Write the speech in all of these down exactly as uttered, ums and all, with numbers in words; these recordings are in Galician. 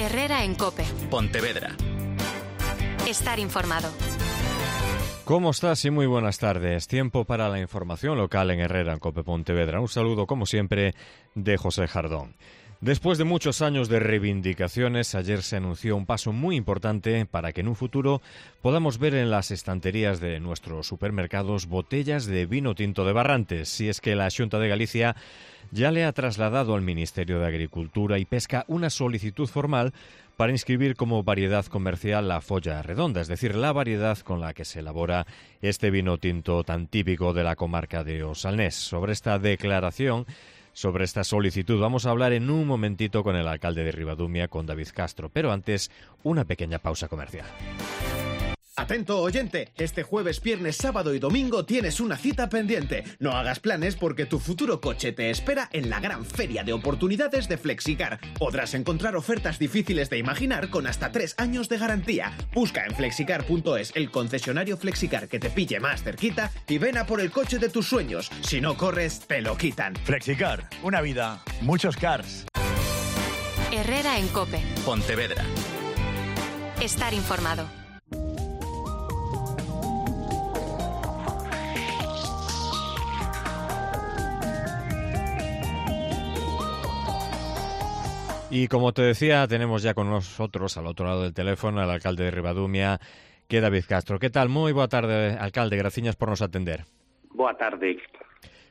Herrera en COPE. Pontevedra. Estar informado. ¿Cómo estás? Y muy buenas tardes. Tiempo para la información local en Herrera en COPE Pontevedra. Un saludo, como siempre, de José Jardón. Después de muchos años de reivindicaciones, ayer se anunció un paso muy importante para que en un futuro podamos ver en las estanterías de nuestros supermercados botellas de vino tinto de Barrantes. Si es que la Xunta de Galicia ya le ha trasladado al Ministerio de Agricultura y Pesca una solicitud formal para inscribir como variedad comercial la folla redonda, es decir, la variedad con la que se elabora este vino tinto tan típico de la comarca de O Salnés. Sobre esta declaración, sobre esta solicitud, vamos a hablar en un momentito con el alcalde de Ribadumia, con David Castro, pero antes, una pequeña pausa comercial. Atento oyente, este jueves, viernes, sábado y domingo tienes una cita pendiente. No hagas planes porque tu futuro coche te espera en la gran feria de oportunidades de Flexicar. Podrás encontrar ofertas difíciles de imaginar con hasta tres años de garantía. Busca en flexicar punto es el concesionario Flexicar que te pille más cerquita y ven a por el coche de tus sueños. Si no corres, te lo quitan. Flexicar, una vida, muchos cars. Herrera en COPE. Pontevedra. Estar informado. Y como te decía, tenemos ya con nosotros, al otro lado del teléfono, al alcalde de Ribadumia, que é David Castro. Que tal? Moi boa tarde, alcalde. Graciñas por nos atender. Boa tarde.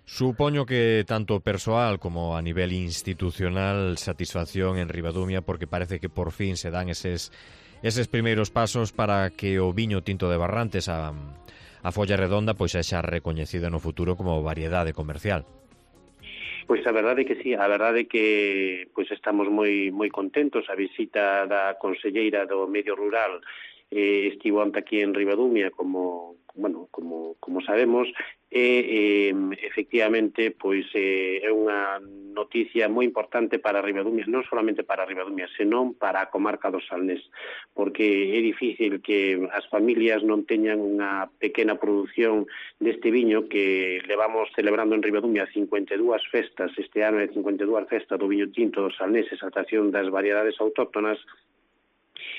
Supoño que tanto persoal como a nivel institucional satisfacción en Ribadumia, porque parece que por fin se dan eses, eses primeiros pasos para que o viño tinto de Barrantes, a, a folla redonda, pois sexa recoñecida no futuro como variedade comercial. Pois a verdade é que sí, a verdade é que pois estamos moi moi contentos. A visita da conselleira do Medio Rural eh, estivo ante aquí en Ribadumia, como bueno, como como sabemos, e eh, efectivamente pois eh, é unha noticia moi importante para Ribadumia, non solamente para Ribadumia, senón para a comarca do Salnés, porque é difícil que as familias non teñan unha pequena produción deste viño que levamos celebrando en Ribadumia cincuenta e dúas festas, este ano é cincuenta e dúas festas do viño tinto do Salnés, exaltación das variedades autóctonas,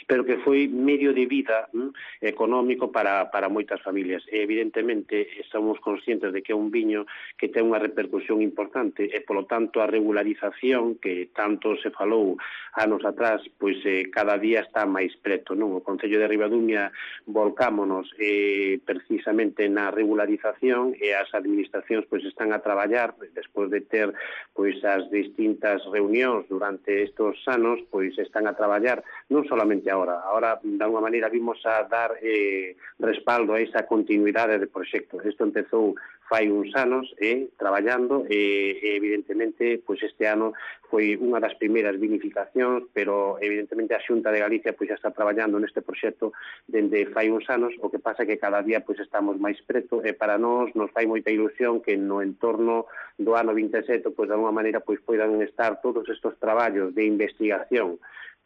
pero que foi medio de vida hm, económico para, para moitas familias. E, evidentemente, somos conscientes de que é un viño que ten unha repercusión importante e, polo tanto, a regularización que tanto se falou anos atrás, pois eh, cada día está máis preto, non? O Concello de Ribadumia volcámonos eh, precisamente na regularización e as administracións pois están a traballar, despois de ter pois as distintas reunións durante estes anos, pois están a traballar non solamente ahora, ahora de alguma maneira vimos a dar eh, respaldo a esa continuidade de proxectos. Isto empezou fai uns anos eh, traballando e eh, evidentemente pois este ano foi unha das primeiras vinificacións, pero evidentemente a Xunta de Galicia pois já está traballando neste proxecto dende fai uns anos, o que pasa que cada día pois estamos máis preto e para nós nos fai moita ilusión que no entorno do ano vinte e sete pois de alguma maneira pois poidan estar todos estes traballos de investigación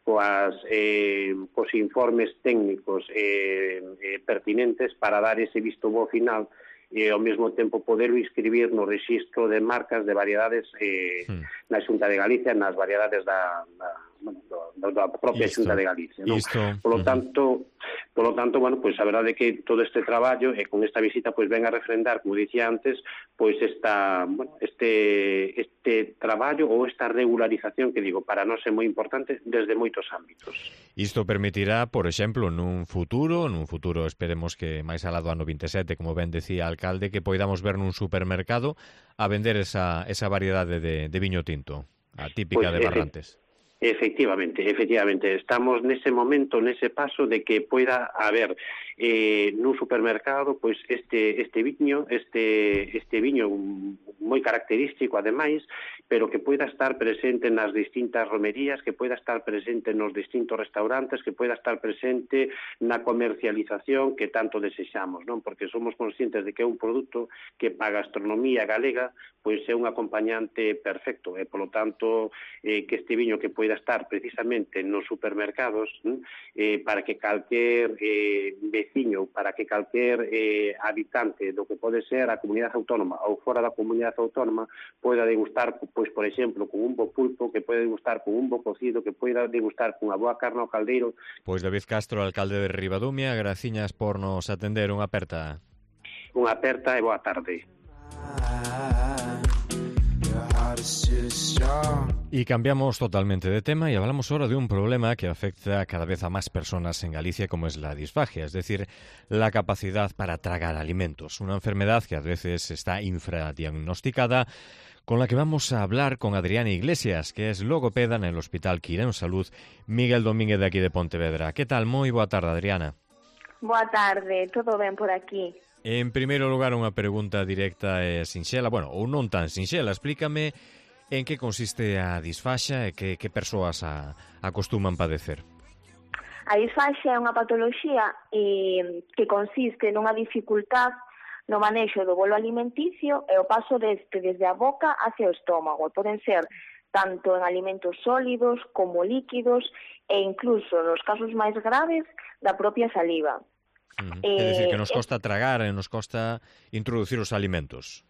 coas eh, cos informes técnicos eh, eh, pertinentes para dar ese visto bo final e ao mesmo tempo poder inscribir no rexistro de marcas de variedades eh, sí. na Xunta de Galicia, nas variedades da, da, bueno, da, da propia Xunta de Galicia, non? Polo tanto, polo tanto, bueno, pois a verdade é que todo este traballo e con esta visita pois ven a refrendar, como dicía antes, pois esta, bueno, este este traballo ou esta regularización que digo, para nós é moi importante desde moitos ámbitos. Isto permitirá, por exemplo, nun futuro, nun futuro esperemos que máis alá do ano vinte e sete, como ben decía o alcalde, que poidamos ver nun supermercado a vender esa, esa variedade de, de viño tinto, a típica pues, de Barrantes. Efectivamente, efectivamente, estamos nese momento, nese paso de que poida haber eh, nun supermercado pois este este viño, este este viño moi característico ademais, pero que poida estar presente nas distintas romerías, que poida estar presente nos distintos restaurantes, que poida estar presente na comercialización que tanto desexamos, non? Porque somos conscientes de que é un produto que para a gastronomía galega pois é un acompañante perfecto e, polo tanto, eh, que este viño que poida estar precisamente nos supermercados eh, para que calquer eh, veciño, para que calquer eh, habitante do que pode ser a comunidade autónoma ou fora da comunidade autónoma poida degustar, pois, por exemplo, con un bo pulpo, que pode degustar con un bo cocido, que poida degustar con a boa carne ao caldeiro. Pois David Castro, alcalde de Ribadumia, graciñas por nos atender. Unha aperta. Unha aperta e boa tarde. Y cambiamos totalmente de tema y hablamos ahora de un problema que afecta cada vez a más personas en Galicia, como es la disfagia, es decir, la capacidad para tragar alimentos, una enfermedad que a veces está infradiagnosticada, con la que vamos a hablar con Adriana Iglesias, que es logopeda en el Hospital Quirón Salud Miguel Domínguez de aquí de Pontevedra. ¿Qué tal? Moi boa tarde, Adriana. Boa tarde, todo ben por aquí. En primeiro lugar, unha pregunta directa e sinxela, bueno, ou non tan sinxela, explícame en que consiste a disfaxa e que, que persoas a, acostuman padecer. A disfaxia é unha patoloxía eh, que consiste nunha dificultad no manexo do bolo alimenticio e o paso deste desde a boca hacia o estómago. Poden ser tanto en alimentos sólidos como líquidos e incluso, nos casos máis graves, da propia saliva. Uh-huh. Eh, é dicir, que nos costa tragar e nos costa introducir os alimentos.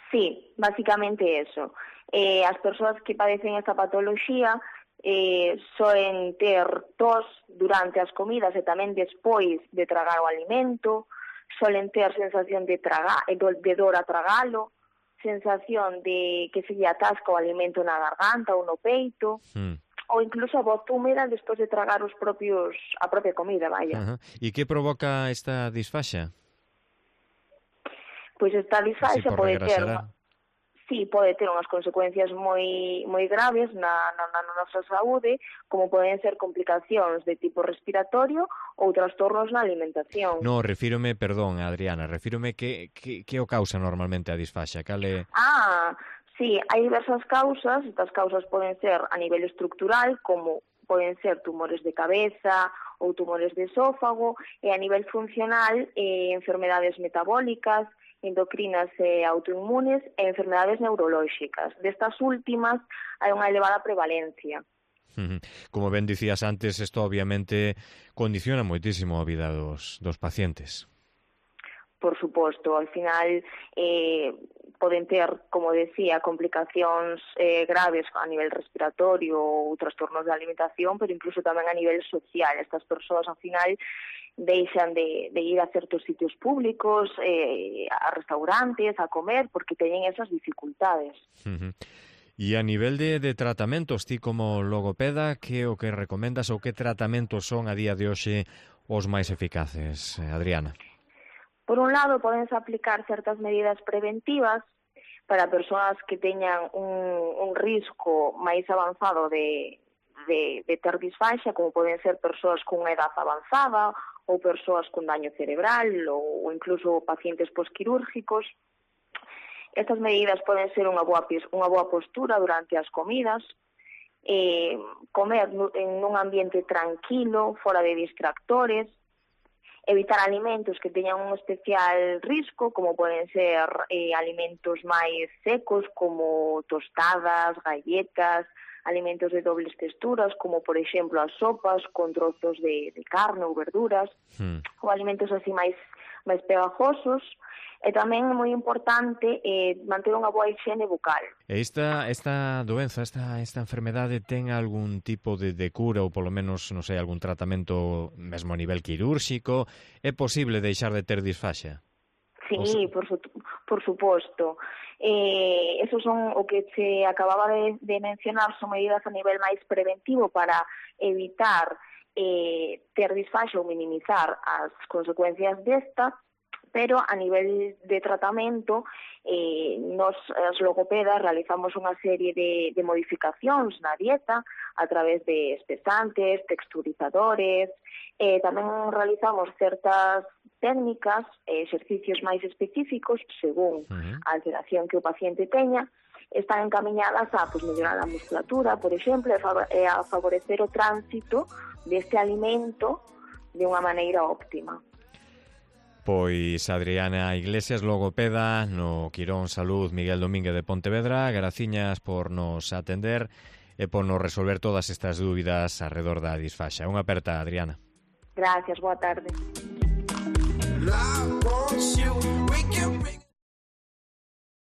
Sí, basicamente eso. Eh, as persoas que padecen esta patoloxía eh, soen ter tos durante as comidas e tamén despois de tragar o alimento, solen ter sensación de, traga, de dor a tragalo, sensación de que se lle atasca o alimento na garganta ou no peito, mm. ou incluso a voz húmeda despois de tragar os propios a propia comida, vaya. Uh-huh. E que provoca esta disfaxa? Pois esta disfaxa pode ter, sí, pode ter unhas consecuencias moi moi graves na, na, na nosa saúde, como poden ser complicacións de tipo respiratorio ou trastornos na alimentación. No, refírome, perdón, Adriana, refírome que, que, que o causa normalmente a disfaxa? Cale... Ah, sí, hai diversas causas. Estas causas poden ser a nivel estructural, como poden ser tumores de cabeza ou tumores de esófago, e a nivel funcional, eh, enfermedades metabólicas, endocrinas e autoinmunes e enfermedades neurolóxicas. Destas últimas hai unha elevada prevalencia. Como ben dicías antes, isto obviamente condiciona moitísimo a vida dos, dos pacientes. Por suposto, al final eh, poden ter, como decía, complicacións eh, graves a nivel respiratorio ou trastornos de alimentación, pero incluso tamén a nivel social. Estas persoas, al final, deixan de, de ir a certos sitios públicos, eh, a restaurantes, a comer, porque teñen esas dificultades. Uh-huh. E a nivel de, de tratamentos, ti como logopeda, que o que recomendas ou que tratamentos son a día de hoxe os máis eficaces, Adriana? Por un lado, podense aplicar certas medidas preventivas para persoas que teñan un, un risco máis avanzado de, de, de ter disfaxa, como poden ser persoas con edad avanzada ou persoas con daño cerebral ou incluso pacientes posquirúrgicos. Estas medidas poden ser unha boa, unha boa postura durante as comidas, eh, comer en un ambiente tranquilo, fora de distractores, evitar alimentos que teñan un especial risco, como poden ser eh, alimentos máis secos, como tostadas, galletas, alimentos de dobles texturas, como por exemplo as sopas con trozos de, de carne ou verduras, hmm. ou alimentos así máis, máis pegajosos. E tamén é moi importante eh, manter unha boa higiene bucal. E esta, esta doenza, esta, esta enfermedade ten algún tipo de, de cura ou polo menos, non sei, algún tratamento mesmo a nivel quirúrxico? É posible deixar de ter disfaxa? Sí, se... por, su, por suposto. Eh, esos son o que se acababa de, de mencionar, son medidas a nivel máis preventivo para evitar eh, ter disfaxa ou minimizar as consecuencias desta. Pero a nivel de tratamento, eh, nos as logopedas realizamos unha serie de, de modificacións na dieta a través de espesantes, texturizadores, eh, tamén realizamos certas técnicas, eh, exercicios máis específicos según uh-huh. a alteración que o paciente teña, están encamiñadas a pues, mellorar a musculatura, por exemplo, e a favorecer o tránsito deste alimento de unha maneira óptima. Pois Adriana Iglesias, logopeda no Quirón Salud Miguel Domínguez de Pontevedra, graciñas por nos atender e por nos resolver todas estas dúbidas arredor da disfaxa. Unha aperta, Adriana. Gracias, boa tarde. Well, I want you. We can bring